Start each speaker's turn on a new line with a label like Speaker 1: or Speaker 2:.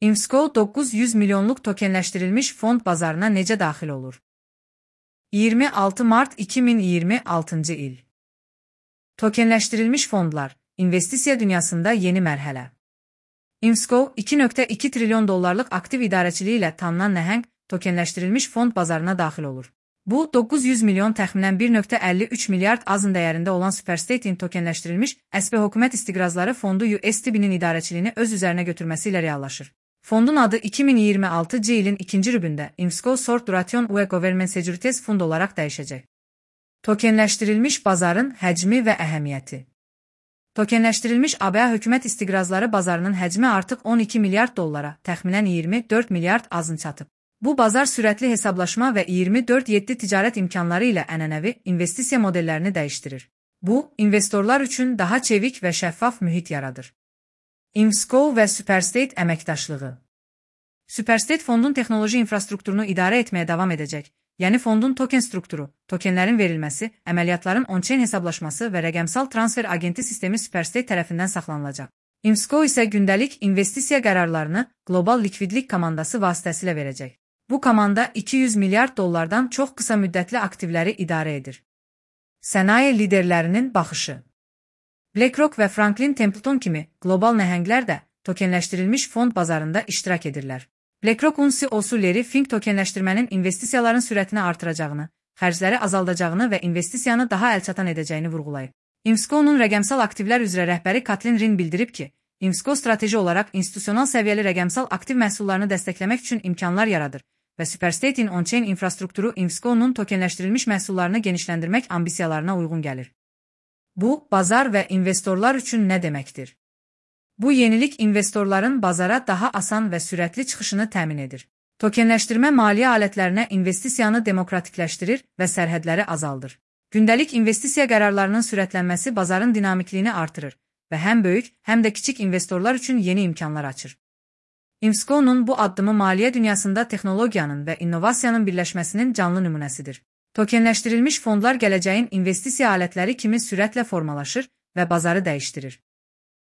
Speaker 1: ImScow 900 milyonluq tokenləşdirilmiş fond bazarına necə daxil olur? 26 mart 2026-cı il. Tokenləşdirilmiş fondlar, investisiya dünyasında yeni mərhələ. ImScow, $2.2 trilyon aktiv idarəçiliyi ilə tanınan nəhəng tokenləşdirilmiş fond bazarına daxil olur. Bu, 900 milyon təxminən 1.53 milyard azın dəyərində olan Superstate'in tokenləşdirilmiş əsbi hökumət istiqrazları fondu USDB'nin idarəçiliyini öz üzərinə götürməsi ilə reallaşır. Fondun adı 2026-cı ilin ikinci rübündə ImScow Short Duration UE Government Securities Fund olaraq dəyişəcək. Tokenləşdirilmiş bazarın həcmi və əhəmiyyəti. Tokenləşdirilmiş ABA hökumət istiqrazları bazarının həcmi artıq 12 milyard dollara, təxminən 24 milyard azın çatıb. Bu bazar sürətli hesablaşma və 24/7 ticarət imkanları ilə ənənəvi investisiya modellərini dəyişdirir. Bu, investorlar üçün daha çevik və şəffaf mühit yaradır. ImScow və Superstate əməkdaşlığı. Superstate fondun texnoloji infrastrukturunu idarə etməyə davam edəcək. Yəni fondun token strukturu, tokenlərin verilməsi, əməliyyatların on-chain hesablaşması və rəqəmsal transfer agenti sistemi Superstate tərəfindən saxlanılacaq. ImScow isə gündəlik investisiya qərarlarını Global Likvidlik komandası vasitəsilə verəcək. Bu komanda 200 milyard dollardan çox qısa müddətli aktivləri idarə edir. Sənaye liderlərinin baxışı. BlackRock və Franklin Templeton kimi qlobal nəhənglər də tokenləşdirilmiş fond bazarında iştirak edirlər. BlackRock'un CEO-su Larry Fink tokenləşdirmənin investisiyaların sürətini artıracağını, xərcləri azaldacağını və investisiyanı daha əlçatan edəcəyini vurğulayıb. ImScow'un rəqəmsal aktivlər üzrə rəhbəri Kathleen Rin bildirib ki, ImScow strateji olaraq institusional səviyyəli rəqəmsal aktiv məhsullarını dəstəkləmək üçün imkanlar yaradır və Superstate'in on-chain infrastrukturu ImScow'un tokenləşdirilmiş məhsullarını genişləndirmək ambisiyalarına uyğun gəlir. Bu, bazar və investorlar üçün nə deməkdir? Bu yenilik investorların bazara daha asan və sürətli çıxışını təmin edir. Tokenləşdirmə maliyyə alətlərinə investisiyanı demokratikləşdirir və sərhədləri azaldır. Gündəlik investisiya qərarlarının sürətlənməsi bazarın dinamikliyini artırır və həm böyük, həm də kiçik investorlar üçün yeni imkanlar açır. ImScow'un bu addımı maliyyə dünyasında texnologiyanın və innovasiyanın birləşməsinin canlı nümunəsidir. Tokenləşdirilmiş fondlar gələcəyin investisiya alətləri kimi sürətlə formalaşır və bazarı dəyişdirir.